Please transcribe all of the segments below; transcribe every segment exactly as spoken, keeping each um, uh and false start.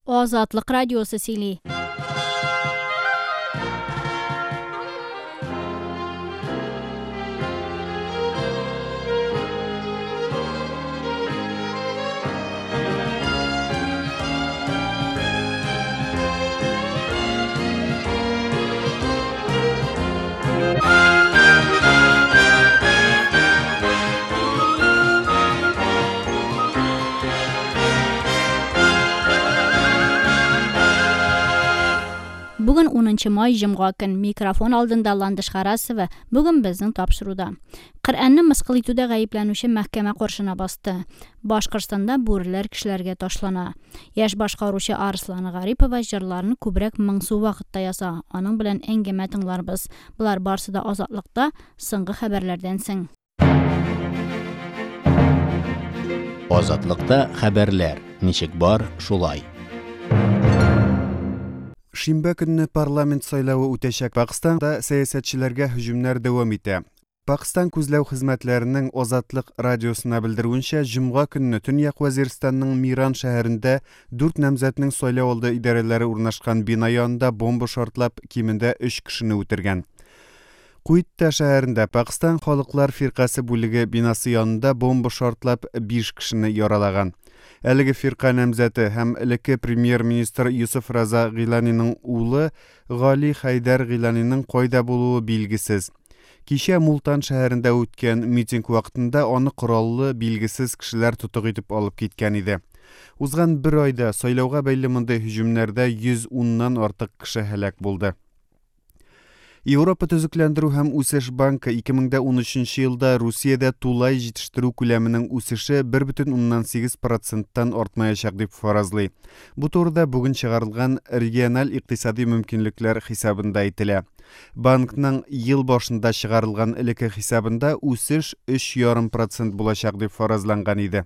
Азатлык радиосы сөйли. Бүген унынчы май җомга көн. Микрофон алдында Ландыш Харасова. Бүген безнең тапшыруда. Коръәнне мыскыл итүдә гаепләнүче мәхкәмә каршына басты. Башкортстанда бүреләр кешеләргә ташлана. Яшь башкаручы Арслан Гарипова җырларын күбрәк моңсу вакытта яза. Аның белән әңгәмә тыңларбыз. Болар барсы да Азатлыкта соңгы хәбәрләрдән соң. Азатлыкта хәбәрләр ничек бар, шулай. Шимбә көнне парламент сайлавы үтәчәк. Пакистанда сәясәтчеләргә һөҗүмнәр дәвам итә. Пакистан күзләү хезмәтләренең Азатлык радиосына белдерүенчә, җомга көнне Төньяк Вәзирстанның Миран шәһәрендә дүрт намзәтнең сайлау алды идарәләре урнашкан бина янында бомба шартлап, кимендә өч кешене үтергән. Куитта шәһәрендә Пакистан халыклар фиркасе бүлеге бинасы янында бомба шартлап биш кешене яралаган. Әлеге фирка намзәте һәм элекке премьер-министр Юсуф Раза Гиланиның улы Гали Хайдар Гиланиның кайда булуы билгесез. Кичә Мултан шәһәрендә үткән митинг вакытында аны кораллы билгесез кешеләр тотык итеп алып киткән иде. Узган бер айда сайлауга бәйле мондый һөҗүмнәрдә йөз уннан артык кеше һәлак булды. Европа төзекләндерү һәм үсеш банкы ике мең дә унөченче елда Русиядә тулай җитештерү күләменең үсеше бер бөтен уннан сигез проценттан артмаячак дип фаразлый. Бу турыда бүген чыгарылган региональ икътисади мөмкинлекләр хисабында әйтелә. Банкның ел башында чыгарылган элекке хисабында үсеш өч ярым процент булачак дип фаразланган иде.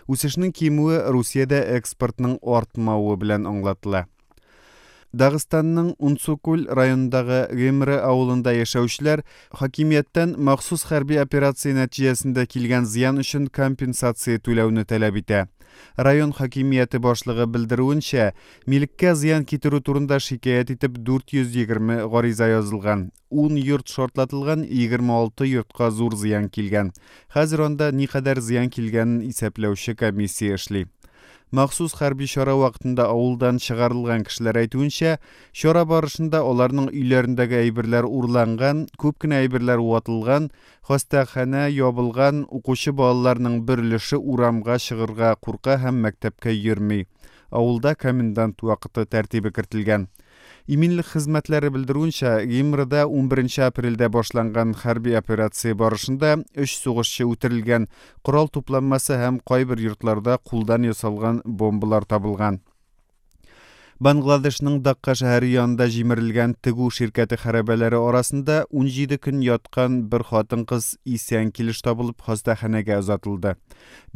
Үсешнең кимүе Русиядә экспортның артмавы белән аңлатыла. Дагыстанның Унцукуль районындагы Гемре авылында яшәүчеләр хакимияттән махсус хәрби операция нәтиҗәсендә килгән зыян өчен компенсация түләүне таләп итә. Район хакимияте башлыгы белдерүенчә, милеккә зыян китерү турында шикаять итеп дүрт йөз егерме гариза язылган. Ун йорт шартлатылган, егерме алты йортка зур зыян килгән. Хәзер анда никадәр зыян килгәнен исәпләүче комиссия эшли. Махсус хәрби чара вакытында авылдан чыгарылган кешеләр әйтүенчә, чара барышында аларның өйләрендәге әйберләр урланган, күп кенә әйберләр ватылган, хастаханә ябылган, укучы балаларның бер өлеше урамга чыгарга курка һәм мәктәпкә йөрми. Авылда комендант вакыты тәртибе кертелгән. Иминлек хезмәтләре белдерүенчә, Гимрада унберенче апрельдә башланган хәрби операция барышында өч сугышчы үтерелгән, корал тупланмасы һәм кайбер йортларда кулдан ясалган бомбалар табылган. Бангладешның Дакка шәһәре янында җимерелгән тегү ширкәте хәрабәләре арасында унҗиде көн яткан бер хатын-кыз исән килеш табылып хастаханәгә озатылды.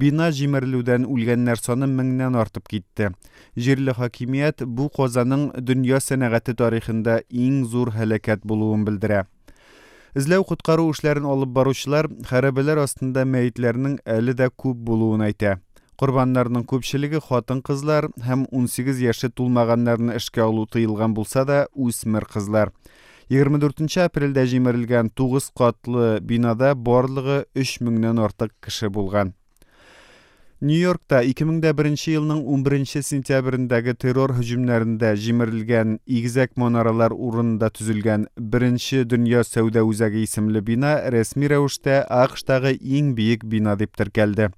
Бина җимерелүдән үлгәннәр саны меңнән артып китте. Җирле хакимият бу казаның дөнья сәнәгате тарихында иң зур һәлакәт булуын белдерә. Эзләү коткару эшләрен алып баручылар хәрабәләр астында мәетләрнең әле дә күп булуын әйтә. Корбаннарның күпчелеге хатын-кызлар һәм унсигез яше тулмаганнарны эшкә алу тыелган булса да үсмер кызлар. Егерме дүртенче апрельдә җимерелгән тугыз катлы бинада барлыгы өч меңнән артык кеше булган. Нью-Йоркта ике мең дә беренче елның унберенче сентябрендәге террор һөҗүмнәрендә җимерелгән игезәк манаралар урынында төзелгән Беренче дөнья сәүдә үзәге исемле бина рәсми рәвештә АКШтагы иң биек бина дип теркәлде.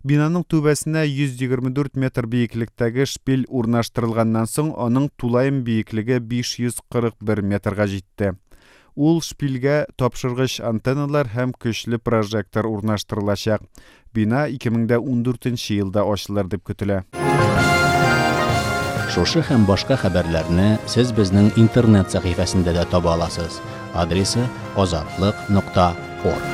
Бинаның түбәсенә йөз егерме дүрт метр биеклектәге шпиль урнаштырылганнан соң аның тулаем биеклеге биш йөз кырык бер метрга җитте. Ул шпильгә тапшыргыч антенналар һәм көчле прожектор урнаштырылачак. Бина ике мең дә ундүртенче елда ачылыр дип көтелә. Шушы һәм башка хәбәрләрне сез безнең интернет сәхифәсендә дә таба аласыз. Адресы азатлык нокта орг.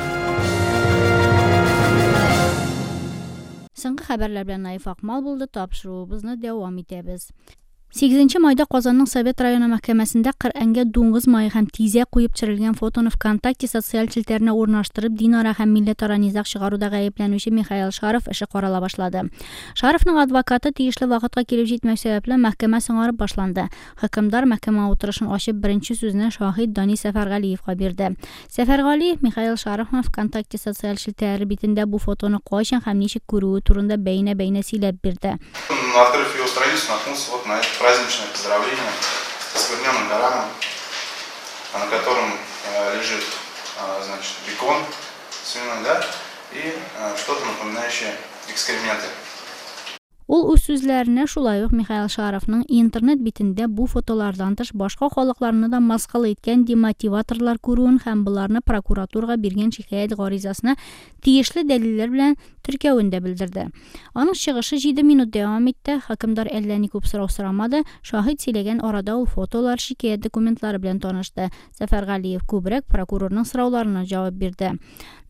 Соңгы хәбәрләр белән Наиф Акмал булды. Тапшыруыбызны дәвам итәбез. Сигезенче майда Казанның Совет районы мәхкәмәсендә Коръәнгә дуңгыз мае һәм тизәк куеп төшерелгән фотоны ВКонтакте социаль челтәренә урнаштырып, динара һәм милләтара низаг чыгаруда гаепләнүче Михаил Шаров эше карала башлады. Шаровның адвокаты тиешле вакытка килеп җитмәү сәбәпле мәхкәмә соңарып башланды. Хөкемдар мәхкәмә утырышын ачып беренче сүзне шаһит Дани Сәфәргалиевка бирде. Сәфәргалиев Михаил Шаровның ВКонтакте социаль челтәре битендә бу фотоны кайчан һәм ничек күрүе турында бәйнә-бәйнә сөйләп бирде. Открыв его страницу, наткнулся вот на это праздничное поздравление с оскверненным Кораном, на котором лежит, значит, бекон свиной, да, и что-то напоминающее экскременты. Ул үз сүзләренә шулай ук Михаил Шаровның интернет битендә бу фотолардан тыш башка халыкларны да мыскыл иткән демотиваторлар күрүен һәм боларны прокуратурага биргән шикаять гаризасына тиешле дәлилләр белән теркәвен дә белдерде. Аның чыгышы җиде минут дәвам итте. Хөкемдар әллә ни күп сорау сорамады. Шаһит сөйләгән арада ул фотолар, шикаять документлары белән танышты. Сәфәргалиев күбрәк прокурорның сорауларына җавап бирде.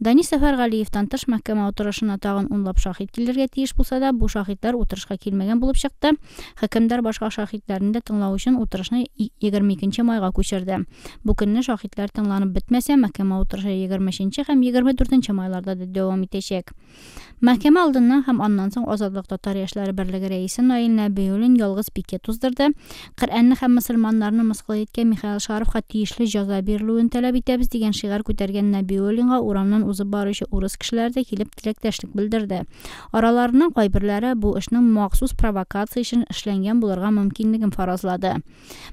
Дани Сәфәргалиевтан тыш мәхкәмә утырышына тагын унлап шаһит килергә тиеш булса да, бу шаһитлар утырышка килмәгән булып чыкты. Хөкемдар башка шаһитләрне дә тыңлау өчен утырышны егерме икенче майга күчерде. Бу көнне шаһитләр тыңланып бетмәсә, мәхкәмә утырышы егерме өченче һәм егерме дүртенче майларда да дәвам итәчәк. Мәхкәмә алдыннан һәм аннан соң Азатлык татар яшьләре берлеге рәисе Наил Нәбиуллин ялгыз пикет уздырды. Коръәнне һәм мөселманнарны мыскыл иткән Михаил Шаровка тиешле җәза бирелүен таләп итәбез дигән шигарь күтәргән Нәбиуллинга урамнан узып баручы урыс кешеләре дә килеп теләктәшлек белдерде. Араларының кайберләре бу эшнең махсус провокация өчен эшләнгән булырга мөмкинлеген фаразлады.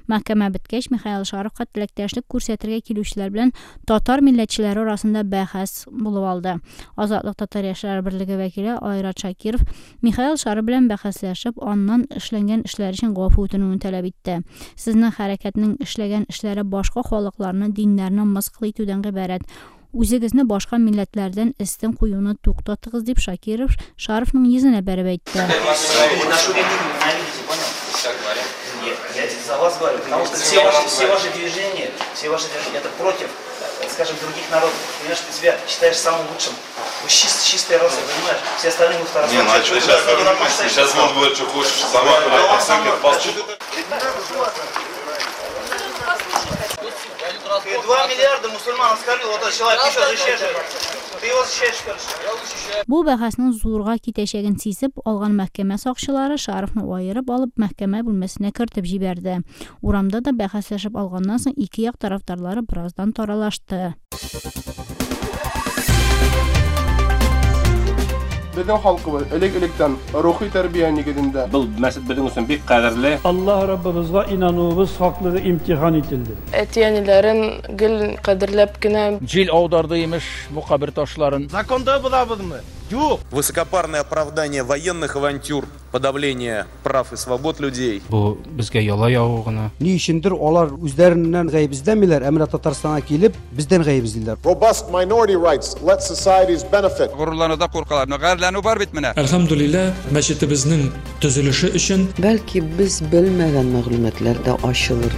Мәхкәмә беткәч, Михаил Шаровка теләктәшлек күрсәтергә килүчеләр белән татар милләтчеләре арасында бәхәс булып алды. Азатлык татар яшьләре берлеге вәкиле Айрат Шакиров Михаил Шаров белән бәхәсләшеп, аннан эшләнгән эшләр өчен гафу үтенүен таләп итте. Сезнең хәрәкәтнең эшләгән эшләре башка халыкларны, диннәрне мыскыл итүдән гыйбарәт. Үзегезне башка милләтләрдән өстен куюны туктатыгыз дип Шакиров Шаровның йөзенә бәреп әйтте. Я за вас говорю, потому что все ваши, все ваши движения, все ваши движения, это против, скажем, других народов. Понимаешь, ты себя считаешь самым лучшим. Вы чист, чистая раса, понимаешь? Все остальные мы второсортные. Не, ну а что сейчас? Сейчас он будет, что хочешь, сама, блядь, Ты два миллиарда мусульман оскорбил, вот этот человек еще защищаешь. Ты его защищаешь, короче. Бу бәхәснең зурга китәчәген сизеп алган мәхкәмә сакчылары Шаровны аерып алып мәхкәмә бүлмәсенә кертеп җибәрде. Урамда да бәхәсләшеп алганнан соң ике як тарафдарлары бераздан таралашты. Безнең халкыбыз элек-электән рухи тәрбия нигезендә. Был мәсет безнең өчен бик кадерле. Аллаһ Раббыбызга инануыбыз хаклыгы имтихан ителде. Әти-әниләрен гел кадерләп кенә. Җил аударды имеш бу кабер ташларын. Законда булабызмы? Юк. Высокопарное оправдание военных авантюр, подавление прав и свобод людей. Бу безгә яла ягу гына. Ни өчендер алар үзләреннән гаеп эзләмиләр, ә менә Татарстанга килеп бездән гаеп эзлиләр. Robust minority rights let societies benefit. Горурлануда куркалар. Гарьләнү бар бит менә. Әлхәмдүлилләһ, мәчетебезнең төзелеше өчен бәлки без белмәгән мәгълүматлар да ачылыр.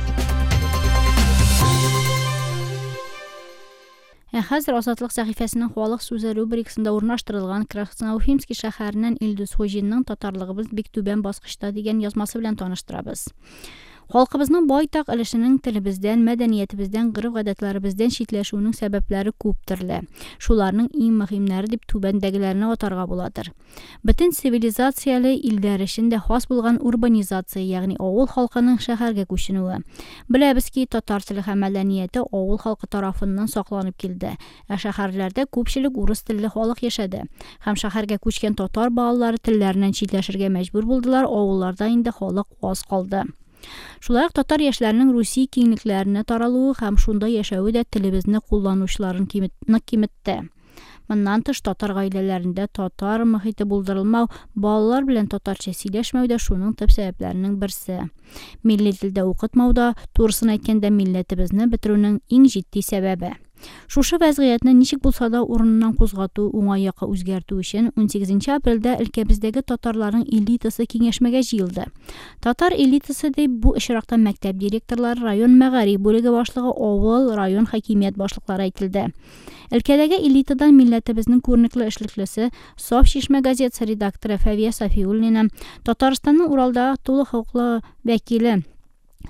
Ә хәзер Азатлык сәхифәсенең халык сүзе рубрикасында урнаштырылган Красноуфимский шәһәреннән Илдус Хуҗинның татарлыгыбыз бик түбән баскычта дигән язмасы белән таныштырабыз. Халкыбызның байтак өлешенең телебездән, мәдәниятебездән, гореф-гадәтләребездән читләшүенең сәбәпләре күп төрле. Шуларның иң мөһимнәре дип түбәндәгеләрне атарга буладыр. Бөтен цивилизацияле илләр эчендә хас булган урбанизация, ягъни авыл халкының шәһәргә күченүе. Беләбез ки, татар теле һәм мәдәнияте авыл халкы тарафыннан сакланып килде. Ә шәһәрләрдә күпчелек урыс телле халык яшәде. Һәм шәһәргә күчкән татар балалары телләреннән читләшергә мәҗбүр булдылар, авылларда инде халык аз калды. Шулай ук татар яшьләренең Русия киңлекләренә таралуы һәм шунда яшәве дә телебезне кулланучыларын нык киметте. Моннан тыш татар гаиләләрендә татар мохите булдырылмау, балалар белән татарча сөйләшмәү дә шуның төп сәбәпләренең берсе. Милли телдә укытмау да, турысын әйткәндә, милләтебезне бетерүнең иң җитди сәбәбе. Шушы вәзгыятьне ничек булса да урыныннан кузгату, уңай якка үзгәртү өчен унсигезенче апрельдә өлкәбездәге татарларның элитасы киңәшмәгә җыелды. Татар элитасы дип бу очракта мәктәп директорлары, район мәгариф бүлеге башлыгы, авыл, район хакимият башлыклары әйтелде. Өлкәдәге элитадан милләтебезнең күренекле эшлеклесе, Саф Чишмә газетасы редакторы Фәвия Сафиуллина, Татарстанның Уралдагы тулы хокуклы вәкиле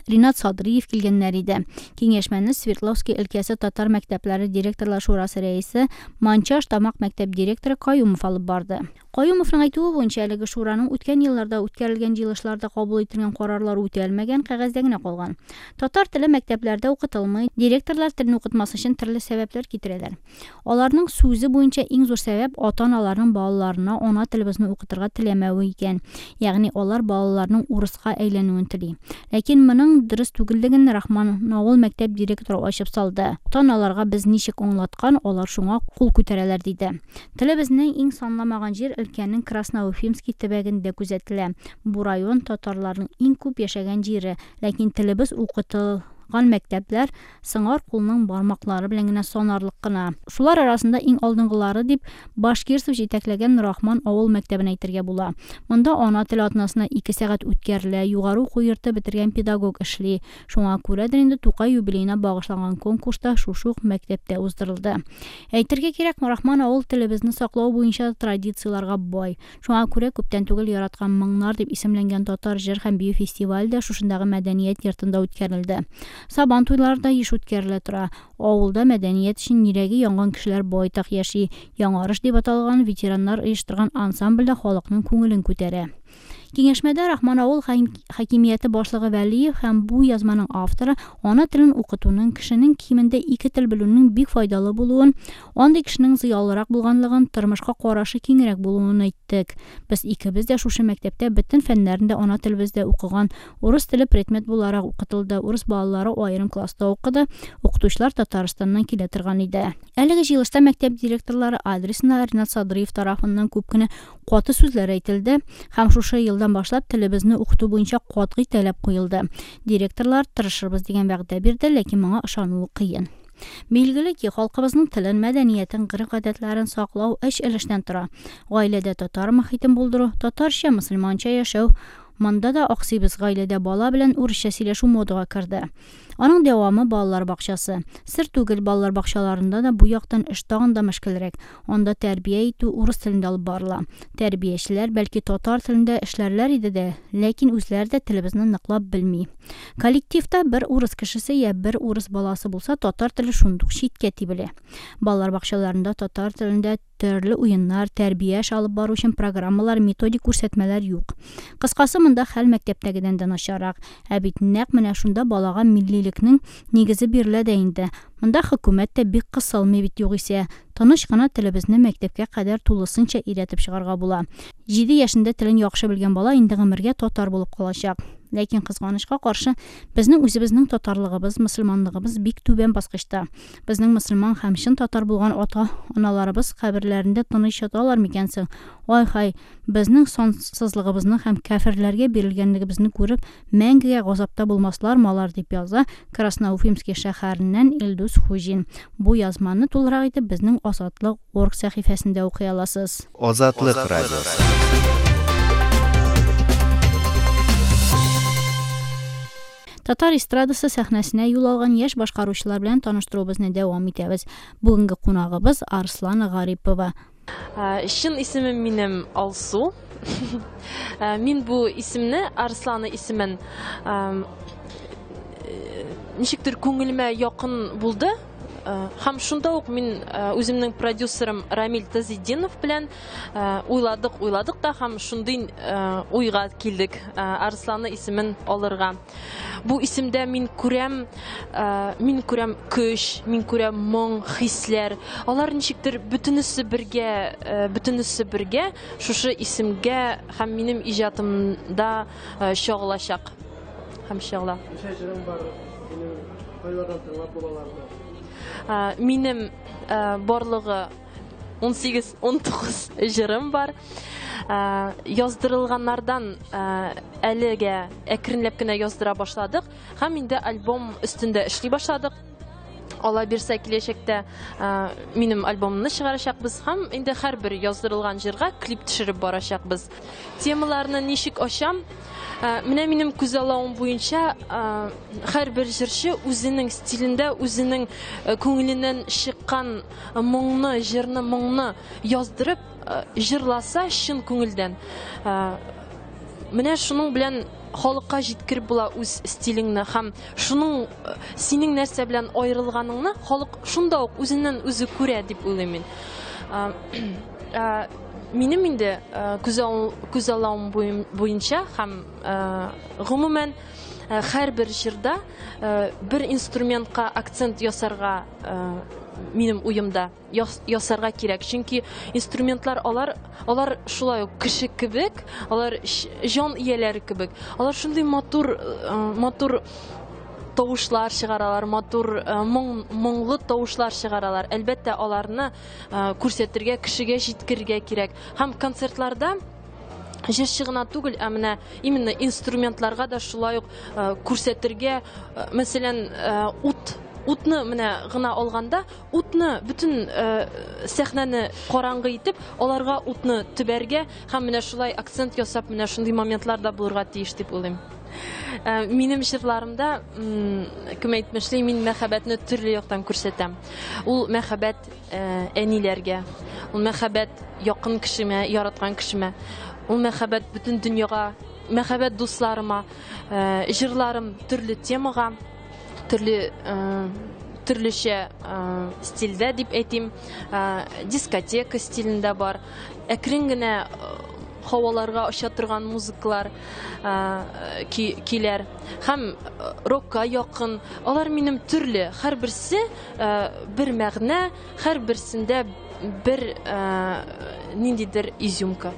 Ринат Садриев килгәннәр иде. Киңәшмәне Свердловский өлкәсе татар мәктәпләре директорлар шурасы рәисе Манчаш Тамак мәктәп директоры Каюмов алып барды. Каюмовның әйтүе буенча әлеге шураның үткән елларда үткәрелгән җыелышларда кабул ителгән карарлар үтәлмәгән, кәгазьдә генә калган. Татар теле мәктәпләрдә укытылмый, директорлар телне укытмас өчен төрле сәбәпләр китерәләр. Аларның сүзе буенча иң зур сәбәп ата-аналарның балаларына ана телебезне укытырга теләмәве икән. Ягъни алар балаларның урыска әйләнүен тели. Ләкин моның дөрес түгеллеген Рахман авыл мәктәп директоры ачып салды. Ата-аналарга без ничек аңлаткан, алар шуңа кул күтәрәләр диде. Телебезнең иң санламаган җир өлкәнең Красноуфимский төбәгендә күзәтелә. Бу район татарларның иң күп яшәгән җире, ләкин телебез укытылган мәктәпләр сыңар кулның бармаклары белән генә санарлык кына. Шулар арасында иң алдынгылары дип Башкирцев җитәкләгән Рахман авыл мәктәбен әйтергә була. Монда ана теле атнасына ике сәгать үткәрелә, югары уку йорты бетергән педагог эшли. Шуңа күрәдер инде Тукай юбилеена багышланган конкурста шушы ук мәктәптә уздырылды. Әйтергә кирәк, Рахман авыл телебезне саклау буенча традицияләргә бай. Шуңа күрә күптән түгел яраткан моңнар дип исемләнгән татар җыр һәм бию фестивале дә шушындагы мәдәният йортында үткәрелде. Сабан туйлары да еш үткәрелә тора. Авылда мәдәният өчен йөрәге янган кешеләр байтак яши. Яңарыш дип аталган ветераннар оештырган ансамбль дә халыкның күңелен күтәрә. Киңәшмәдә Рахман авыл хакимияте башлыгы Вәлиев һәм бу язманың авторы ана телен укытуның кешенең кимендә ике тел белүенең бик файдалы булуын, андый кешенең зыялырак булганлыгын, тормышка карашы киңрәк булуын әйттек. Без икебез дә шушы мәктәптә бөтен фәннәрен дә ана телебездә укыган, урыс теле предмет буларак укытылды, урыс балалары аерым класста укыды, укытучылар Татарстаннан килә торган иде. Әлеге җыелышта мәктәп директорлары адресына Ринат Садриев тарафыннан күп кенә каты сүзләр әйтелде һәм шушы елдан башлап телебезне укыту буенча катгый таләп куелды. Директорлар тырышырбыз дигән вәгъдә бирде, ләкин моңа ышануы кыен. Билгеле ки, халкыбызның телен, мәдәниятен, гореф-гадәтләрен саклау өч өлештән тора. Гаиләдә татар мохитен булдыру, татарча, мөселманча яшәү. Монда да аксыйбыз, гаиләдә бала белән урысча сөйләшү модага керде. Аның дәвамы балалар бакчасы. Сер түгел, балалар бакчаларында да бу яктан эш тагын да мөшкелрәк. Анда тәрбия итү урыс телендә алып барыла. Тәрбиячеләр бәлки татар телендә эшләрләр иде дә, ләкин үзләре дә телебезне ныклап белми. Коллективта бер урыс кешесе я бер урыс баласы булса, татар теле шундук читкә тибелә. Балалар бакчаларында татар телендә төрле уеннар, тәрбия эше алып бару өчен программалар, методик күрсәтмәләр юк. Кыскасы, монда хәл мәктәптәгедән дә начаррак. Ә бит нәкъ менә шунда балага миллилекнең нигезе бирелә дә инде. Монда хөкүмәт тә бик кысылмый бит югыйсә. Тыныч кына телебезне мәктәпкә кадәр тулысынча өйрәтеп чыгарга була. Җиде яшендә телен яхшы белгән бала инде гомергә татар булып калачак. Ләкин кызганычка каршы, безнең үзебезнең татарлыгыбыз, мөселманлыгыбыз бик түбән баскычта. Безнең мөселман һәм чын татар булган ата-аналарыбыз каберләрендә тыныч яталар микән соң? Ай-хай, безнең сансызлыгыбызны һәм кәферләргә бирелгәнлегебезне күреп, мәңгегә газапта булмаслармы алар, дип яза Красноуфимский шәһәреннән Илдус Хуҗин. Бу язманы тулырак итеп безнең Азатлык орг сәхифәсендә укый аласыз. Азатлык радиосы. Татар эстрадасы сәхнәсенә юл алган яшь башкаручылар белән таныштыруыбызны дәвам итәбез. Бүгенге кунагыбыз Арслана Гарипова. Чын исемем минем Алсу. Мин бу исемне, Арслана исемен, ничектер күңелемә якын булды. Һәм шунда ук мин үземнең продюсерым Рамиль Тазетдинов белән уйладык, уйладык та һәм шундый уйга килдек Арслана исемен алырга. Бу исемдә мин күрәм, мин күрәм көч, мин күрәм моң, хисләр. Алар ничектер бөтенесе бергә, бөтенесе бергә шушы исемгә һәм минем иҗатымда чагылачак. Һәм чагыла. Ничә җырың бар? Кайлардан тыңлап булаларны? Минем барлыгы ун сигез, ун тугыз җырым бар. Яздырылганнардан әлегә әкренләп кенә яздыра башладык һәм инде альбом өстендә эшли башладык. Алла бирсә, киләчәктә минем альбомымны чыгарачакбыз һәм инде һәрбер яздырылган җырга клип төшереп барачакбыз. Темаларны ничек ачам? Менә минем күзаллавым буенча һәрбер җырчы үзенең стилендә, үзенең күңеленнән чыккан моңны, җырны, моңны яздырып җырласа чын күңелдән. Менә шуның белән халыкка җиткереп була үз стилеңне һәм шуның синең нәрсә белән аерылганыңны халык шунда ук үзеннән үзе күрә дип уйлыйм мин. Минем инде күзаллавым буенча һәм гомумән һәрбер җырда бер инструментка акцент ясарга минем уемда ясарга кирәк. Чөнки инструментлар алар алар шулай ук кеше кебек, алар җан ияләре кебек. Алар шундый матур матур тавышлар чыгаралар, матур моң, моңлы тавышлар чыгаралар. Әлбәттә, аларны күрсәтергә, кешегә җиткерергә кирәк. Һәм концертларда җырчы гына түгел, ә менә именно инструментларга да шулай ук күрсәтергә, мәсәлән, ут Утны менә гына алганда, утны бөтен сәхнәне караңгы итеп, аларга утны төбәргә һәм менә шулай акцент ясап, менә шундый моментлар да булырга тиеш дип уйлыйм. Минем җырларымда, кем әйтмешли, мин мәхәббәтне төрле яктан күрсәтәм. Ул мәхәббәт әниләргә, ул мәхәббәт якын кешемә, яраткан кешемә, ул мәхәббәт бөтен дөньяга, мәхәббәт дусларыма, җырларым төрле темага, төрле төрлечә стильдә дип әйтим, дискотека стилендә бар, әкрен генә һаваларга оча торган музыкалар көйләр һәм рокка якын. Алар минем төрле, һәрберсе бер мәгънә, һәрберсендә бер ниндидер изюмка.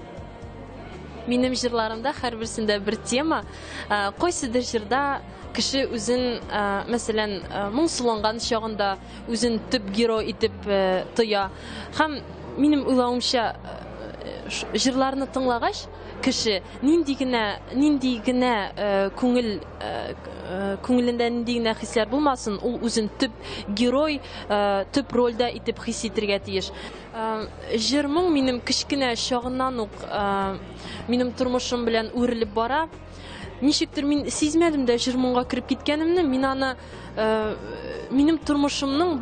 Минем җырларымда һәрберсендә бер тема. Кайсыдыр җырда кеше үзен, мәсәлән, моңсуланган чагында үзен төп герой итеп тоя. Һәм минем уйлавымча, җырларны тыңлагач, кеше нинди генә, нинди генә күңел, күңелендә нинди генә хисләр булмасын, ул үзен төп герой, төп рольдә итеп хис итергә тиеш. Җыр моң минем кечкенә чагыннан ук минем тормышым белән үрелеп бара. Ничектер мин сизмәдем дә җыр моңга кереп киткәнемне, мин аны минем тормышымның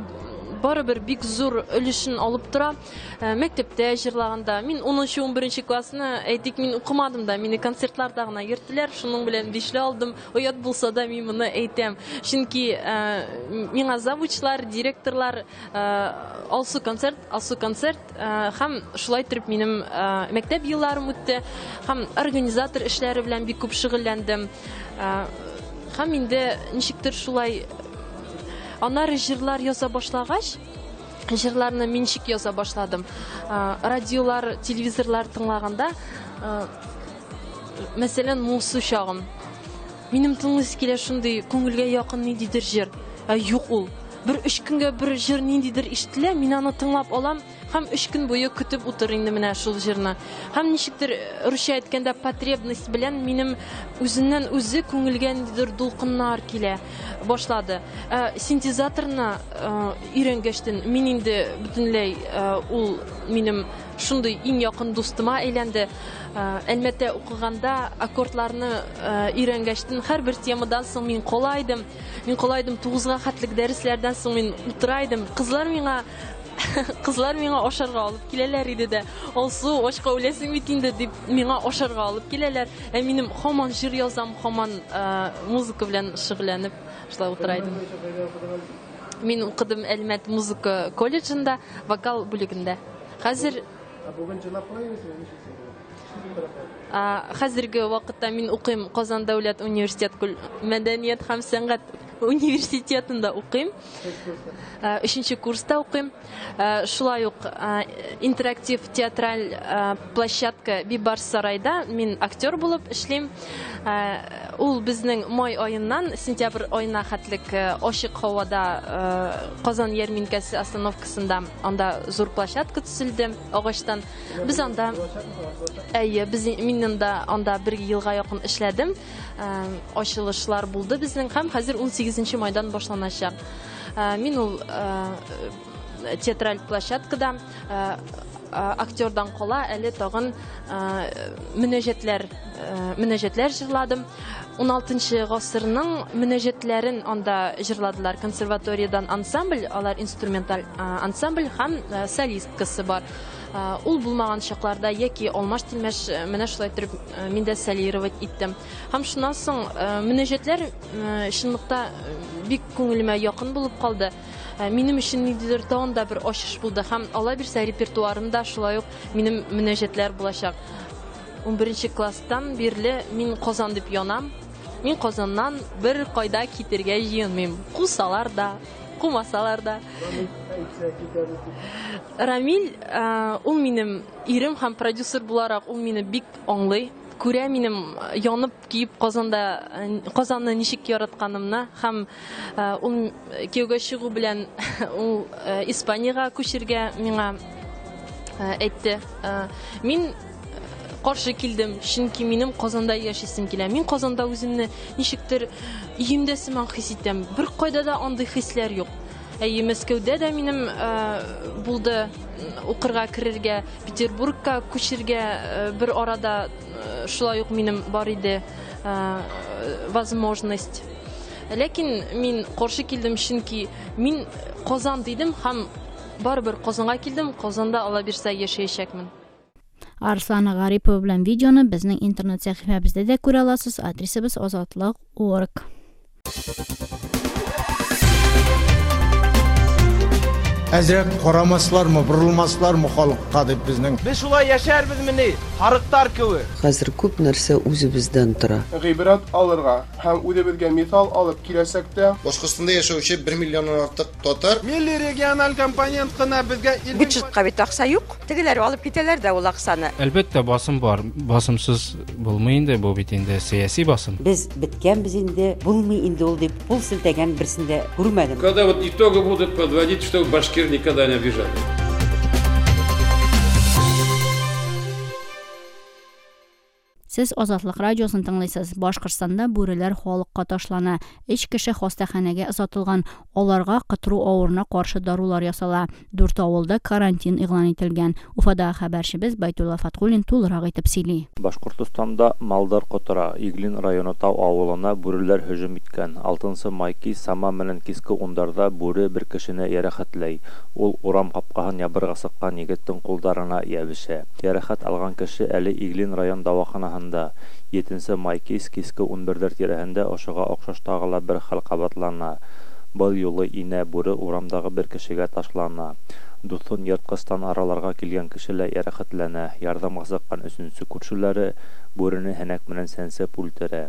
барыбер бик зур өлешен алып тора. Мәктәптә җырлаганда, мин унынчы, унберенче классны, әйтик, мин укымадым да, мине концертларда гына йөрттеләр, шуның белән бишле алдым. Оят булса да мин моны әйтәм. Чөнки миңа завучлар, директорлар Алсу концерт, Алсу концерт һәм шулай итеп минем мәктәп елларым үтте, һәм организатор эшләре белән бик күп шөгыльләндем. Һәм инде ничектер шулай аннары җырлар яза башлагач, җырларны мин ничек яза башладым. Радиолар, телевизорлар тыңлаганда, мәсәлән, моңсу чагым. Минем тыңлыйсы килә шундый күңелгә якын ниндидер җыр. Ә юк ул. Бер өч көнгә бер җыр ниндидер ишетелә, мин аны тыңлап алам һәм өч көн буе көтеп утыр инде менә шул җырны. Һәм ничектер русча әйткәндә потребность белән минем үзеннән үзе күңелгә ниндидер дулкыннар килә башлады. Синтезаторны өйрәнгәчтен мин инде бөтенләй ул минем шундый иң якын дустыма әйләнде. Әлмәттә укыганда аккордларны өйрәнгәчтен һәрбер темадан соң мин кала идем. Мин кала идем тугызга хәтлек дәресләрдән соң мин утыра идем. Кызлар миңа кызлар миңа ашарга алып киләләр иде дә. Алсу, ашка үләсең бит инде дип миңа ашарга алып киләләр. Ә минем һаман җыр язам, һаман музыка белән шөгыльләнеп шулай утыра идем. Мин укыдым Әлмәт музыка колледжында, вокал бүлегендә. Хәзер бүген җырлап кына йөрисеңме, ничек? Хәзерге вакытта мин укыйм Казан дәүләт университет мәдәният һәм сәнгать университетында укыйм. Өченче курста укыйм. Шулай ук интерактив театраль площадка Бибарс сарайда мин актер булып эшлим. Ул безнең май аеннан сентябрь аена хәтлек ачык һавада Казан ярминкәсе остановкасында анда зур площадка төзелде агачтан. Без анда әйе, без мин анда анда бер елга якын эшләдем. Ачылышлар булды безнең һәм хәзер ун сигезенче майдан башланачак. Мин ул театраль площадкада актердан кала әле тагын мөнәҗәтләр мөнәҗәтләр җырладым. ун алтынчы гасырның мөнәҗәтләрен анда җырладылар. Консерваториядан ансамбль, алар инструменталь ансамбль һәм солисткасы бар. Ул булмаган чакларда яки алмаш-тилмәш менә шулай итеп мин дә солировать иттем. Һәм шуннан соң мөнәҗәтләр чынлыкта бик күңелемә якын булып калды. Минем өчен ниндидер тагын да бер ачыш булды һәм алла бирсә репертуарымда шулай ук минем мөнәҗәтләр булачак. ун беренче класстан бирле мин Казан дип янам. Мин Казаннан бер кайда китергә җыенмыйм. Кусалар да, кумасалар да. Рамиль, ул минем ирем һәм продюсер буларак ул мине бик аңлый. Күрә минем янып киеп Казанда Казанны ничек яратканымны һәм ул кияүгә чыгу белән ул Испаниягә күчергә миңа әйтте. Мин каршы килдем, чөнки минем Казанда яшисем килә. Мин Казанда үземне ничектер өемдә сыман хис итәм. Бер кайда да андый хисләр юк. Әйе, Мәскәүдә дә минем булды укырга керергә, Петербургка күчергә бер арада шулай ук минем бар иде возможность. Ләкин мин каршы килдем, чөнки мин Казан дидем һәм барыбер Казанга килдем. Казанда алла бирсә яшәячәкмен. Арслана Гарипова белән видеоны безнең интернет сәхифәбездә дә күрә аласыз. Адресыбыз азатлык орг. Әзрәк карамаслармы, борылмаслармы халыкка дип безнең. Без шулай яшәрбезмени, харыктар кебек. Хәзер күп нәрсә үзебездән тора. Гыйбрәт алырга һәм үзебезгә мисал алып киләчәктә Башкортстанда яшәүче бер миллионнан артык татар милли региональ компонент кына безгә бюджетка бит акча юк. Тегеләр алып китәләр дә ул акчаны. Әлбәттә, басым бар. Басымсыз булмый инде, бу бит инде сәяси басым. Без беткәнбез инде, булмый инде ул дип кул селтәгән берсен дә күрмәдем. Когда вот итоги будут подводить, что башкир никогда не обижали. Сез Азатлык радиосын тыңлыйсыз. Башкортстанда бүреләр халыкка ташлана. Өч кеше хастаханәгә озатылган. Аларга кытыру авыруына каршы дарулар ясала. Дүрт авылда карантин игълан ителгән. Уфада хәбәрчебез Байтулла Фатхуллин тулырак итеп сөйли. Башкортстанда малдар котыра. Иглин районы Тау авылына бүреләр һөҗүм иткән. Алтынчы май кич сама менән киске ундарда бүре бер кешене ярәхәтләй. Ул урам капкаһын ябырга сыккан егеттең кулдарына ябышә. Ярәхәт алган кеше әле Иглин район дәваханасында. Етенсе май кис киске ун бердер тирәһендә ошоға оҡшаш тағы ла бер хәл ҡабатлана. Был юлы инә бүре урамдағы бер кешегә ташлана. Дуҫын йыртҡыстан араларға килгән кеше лә йәрәхәтләнә. Ярҙамға сыҡҡан өсөнсө күршеләре бүрене һәнәк менән сәнсеп үлтерә.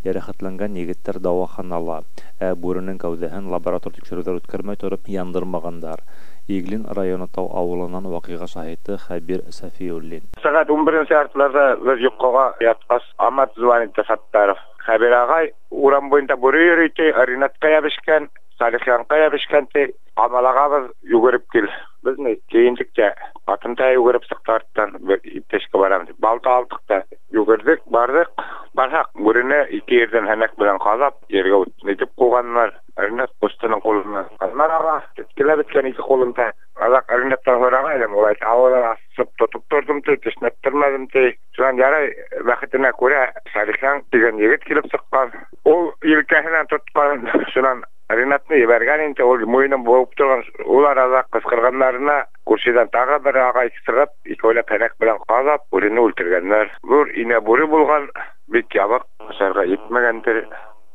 Йәрәхәтләнгән егеттәр дауаханала, ә бүренең кәүҙәһен лаборатор тикшереүҙәр үткәрмәй тороп яндырмағандар. Иглин районы Тау авылынан ваҡиға шаһиты Хәбир Сафиуллин. Сәғәт ун беренсе яртыларҙа беҙ йоҡоға ятҡас, Амат звонит Саттаров. Хәбир ағай урам буйында бүре йөрөй ти, Ринатҡа йәбешкән, Салихянҡа йәбешкән ти, ҡамалағабыҙ, йүгереп кил. Беҙ ни кейендек тә, ҡатын та йүгереп сыҡты арттан, бер иптәшкә барам тип. Балта алдыҡ та, йүгерҙек, барҙыҡ. Барһаҡ, бүрене ике ерҙән һәнәк белән ҡаҙап, ергә итеп ҡуйғандар. Ринат ҡустының ҡулынан ҡандар аға, теткеләп бөткән ике ҡулында. Аҙаҡ Ринаттан һорағайным, ул әйтте, ауыҙын асып тотоп торҙом ти, тешләттермәҙем ти. Шунан ярай бәхетенә күрә Салихян тигән егет килеп сыҡҡан. Ул елкәһенән тотҡан, шунан Ринатны ебәргән инде, ул муйынын быуып торған. Ул арала ҡысҡырғандарына күршедән тағы бер ағай сығып, икәүләп һәнәк белән ҡаҙап, бүрене үлтергәндәр. Ҙур инә бүре булған, бик ябыҡ, ашарға етмәгәндер.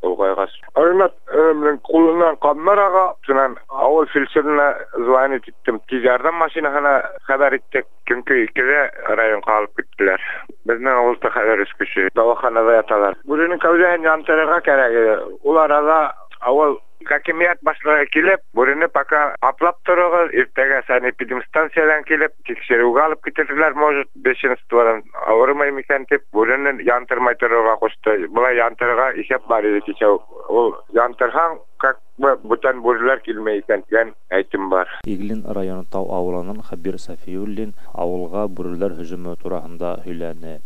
Олғайғас. Ринат минең ҡулынан ҡандар аға, шунан ауыл фельдшерына звонить иттем. Тиҙ ярҙам машинаһына хәбәр иттек. Көнкө икелә районға алып киттеләр. Беҙҙең ауылда хәҙер өс кеше дауаханала яталар. Бүренең кәүҙәһен яндырырға кәрәк ине. Ул арала ауыл хакимият башлығы килеп, бүрене пока аплап тороғоҙ, иртәгә санэпидемстанциянан килеп, тикшереүгә алып китерҙеләр, может, бешенстводан ауырымай микән тип, бүрене яндырмай торорға ҡушты. Былай яндырырға иҫәп бар ине кисә. Ул яндырһаң, как бы бүтән бүреләр килмәй икән тигән әйтем бар. Иглин районы Тау ауылынан Хәбир Сафиуллин ауылға бүреләр һөжүме тураһында һөйләне.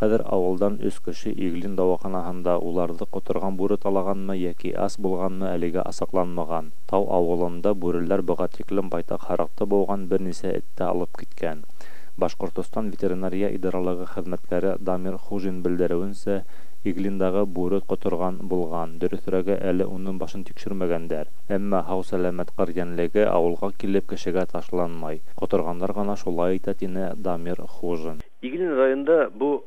Хәзер авылдан өч кеше Иглин дәваханасында, уларҙы ҡоторған бүре талағанмы йәки ас булғанмы әлегә асыҡланмаған. Тау ауылында бүреләр быға тиклем байтаҡ һарыҡты быуған, бер нисә этте алып киткән. Башҡортостан ветеринария идаралығы хеҙмәткәре Дамир Хужин белдереүенсә, Иглиндағы бүре ҡоторған булған, дөрөҫөрәге әле уның башын тикшермәгәндәр. Әммә һау-сәләмәт ҡыр йәнлеге ауылға килеп кешегә ташланмай. Ҡоторғандар ғына шулай итә, тине Дамир Хужин. Иглин районында бу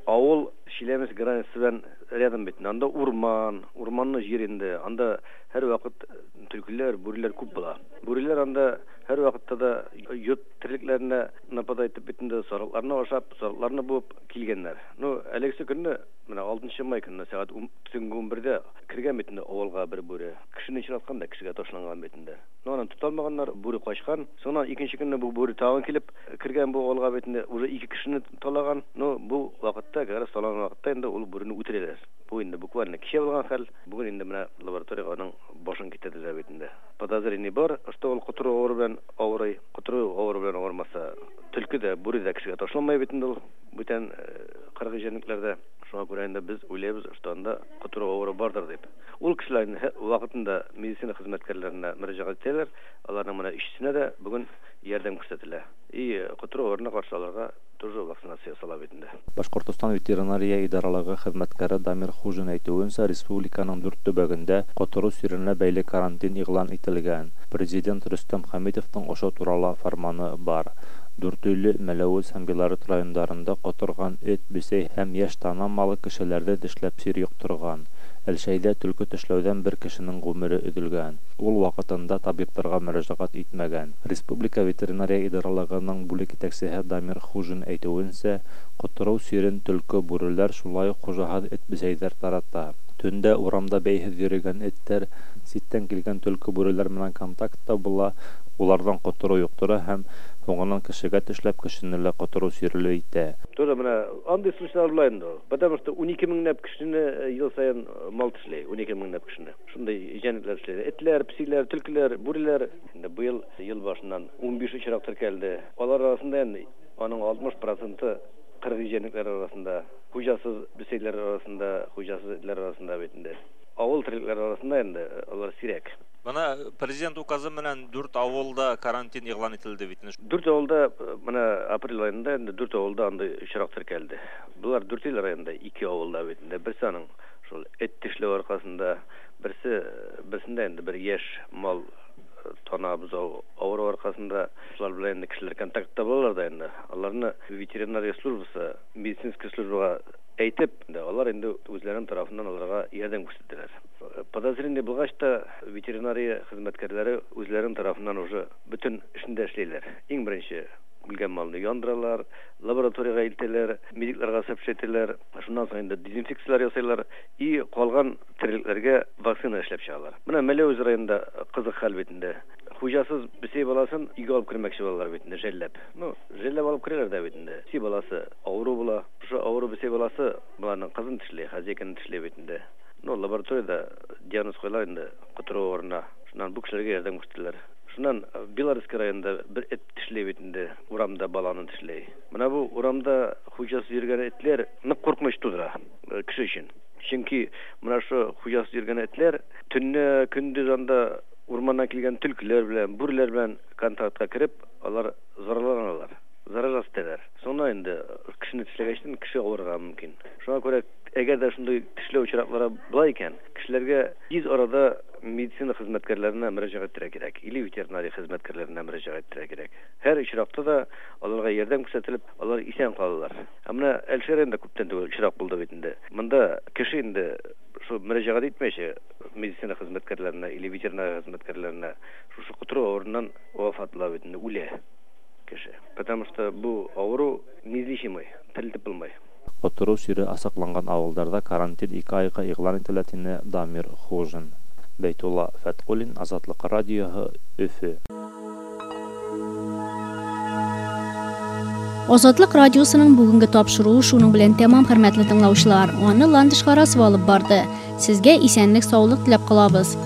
ауыл Челябинск границасы белән рядом бит. Анда урман, урманлы җир инде. Анда һәр вакыт төлкеләр, бүреләр күп була. Бүреләр анда һәр вакытта да йорт терлекләренә нападать итеп бит инде, сарыкларны ашап, сарыкларны буып килгәннәр. Ну, әлегесе көнне, менә алтынчы май көнне сәгать төнге ун бердә кергән бит инде авылга бер бүре. Кешене очраткан да кешегә ташланган бит инде. Ну, аны тота алмаганнар, бүре качкан. Соңыннан икенче көнне бу бүре тагын килеп кергән бу авылга бит инде, уже ике кешене талаган. Ну, бу вакытта, как раз талаган вакытта инде ул бүрене үтерәләр. Бу инде буквально кичә булган хәл. Бүген инде менә лабораториягә аның башын китерделәр бит инде. Подозрение бар, что ул котыру авыру белән авырый. Котыру авыру белән авырмаса, төлке дә, бүре дә кешегә ташланмай бит инде ул. Бүтән кыргый җәнлекләрдә. Шуңа күрә инде без уйлыйбыз, что анда котыру авыру бардыр дип. Ул кешеләрнең вакытында медицина хезмәткәрләренә мөрәҗәгать итәләр. Аларның менә өчесенә дә бүген ярдәм күрсәтелә. И котыру авыруына каршы аларга тоже вакцинация ясала бит инде. Башҡортостан ветеринария идаралығы хеҙмәткәре Дамир Хужин әйтеүенсә, республиканың дүрт төбәгендә ҡотороу сиренә бәйле карантин иғлан ителгән. Президент Рөстәм Хәмитовтың ошо турала фарманы бар. Дүртөйлө, Мәләүез һәм Белорет райондарында ҡоторған эт, бесәй һәм йәш тана малы кешеләрҙе тешләп сир йоҡторған. Әлшәйҙә төлкө тешләүҙән бер кешенең ғүмере өҙөлгән. Ул ваҡытында табиптарға мөрәжәғәт итмәгән. Республика ветеринария идаралығының бүлек етәксеһе Дамир Хужин әйтеүенсә, ҡотороу сирен төлкө, бүреләр, шулай уҡ хужаһыҙ эт-бесәйҙәр тарата. Төндә урамда бәйһеҙ йөрөгән эттәр ситтән килгән төлкө, бүреләр менән контактта була, уларҙан ҡотороу йоҡтора һәм һуңынан кешегә тешләп кешене лә ҡотороу сирле итә. Тоже менә андый случайлар була инде. Потому что ун ике меңләп кешене ел саен мал тешләй, ун ике меңләп кешене. Шундай җәнлекләр тешләй. Этләр, песиләр, төлкеләр, бүреләр. Инде быел ел башыннан ун биш очрак теркәлде. Алар арасында инде аның алтмыш проценты кыргый җәнлекләр арасында, хуҗасыз бесәйләр арасында, хуҗасыз этләр арасында бит инде. Авыл терлекләре арасында инде алар сирәк. Бына президент указы менән дүрт авылда карантин иғлан ителде бит. Дүрт авылда менә апрель айында инде дүрт авылда андый очрак теркәлде. Булар Дүртөйле районында ике авылда бит инде. Берсе аның шул эт тешләү аркасында, берсе берсендә инде бер яшь мал тана бузау авыру аркасында шулар белән инде кешеләр контактта булалар да инде. Аларны ветеринария службасы, медицинский службага әйтеп, алар инде үзләренең тарафыннан аларга ярдәм күрсәттеләр. Подозрение булгач та ветеринария хезмәткәрләре үзләренең тарафыннан уже бөтен эшен дә эшлиләр. Иң беренче үлгән малны яндыралар, лабораториягә илтәләр, медикларга сообщать итәләр, шуннан соң инде дезинфекцияләр ясыйлар и калган терлекләргә вакцина эшләп чыгалар. Менә Мәләүез районында кызык хәл бит инде. Хуҗасыз бесәй баласын өйгә алып кермәкче булалар бит инде, жәлләп. Ну, жәлләп алып керәләр дә бит инде. Бесәй баласы авыру була. Шушы авыру бесәй баласы баланың кызын тешләй, хозяйканы тешләй бит инде. Ну, лабораторияда диагноз куялар инде котыру авыруына. Шуннан бу кешеләргә ярдәм күрсәтәләр. Шуннан Белорусский районында бер эт тешләй бит инде, урамда баланы тешләй. Менә бу урамда хуҗасыз йөргән этләр нык куркыныч тудыра кеше өчен. Чөнки менә шу хуҗасыз йөргән этләр төнне, көндез анда урманнан килгән төлкеләр белән, бүреләр белән контактка кереп, алар зарарланалар, зарар итәләр. Соңыннан инде кешене тешләгәчтен кеше авырырга мөмкин. Шуңа күрә әгәр дә шундый тешләү очраклары була икән, кешеләргә тиз арада медицина хезмәткәрләренә мөрәҗәгать итәргә кирәк, или ветеринария хезмәткәрләренә мөрәҗәгать итәргә кирәк. Һәр очракта да аларга ярдәм күрсәтелеп, алар исән калалар. Ә менә Әлшәй районында күптән түгел очрак булды бит инде. Монда кеше инде шул мөрәҗәгать итмәйчә медицина хезмәткәрләренә или ветеринария хезмәткәрләренә шушы котыру авыруыннан вафат була бит инде, үлә кеше. Потому что бу авыру неизлечимый, терелтеп булмый. Ҡотороу сире асыҡланған ауылдарҙа карантин ике айға иғлан ителә, тине Дамир Хужин. Бәйтулла Фәтҡуллин, Азатлыҡ радиоһы, Өфө. Азатлык радиосының бүгенге тапшыруы шуның белән тәмам, хөрмәтле тыңлаучылар. Аны Ландыш Харасова алып барды. Сезгә исәнлек, саулык теләп калабыз.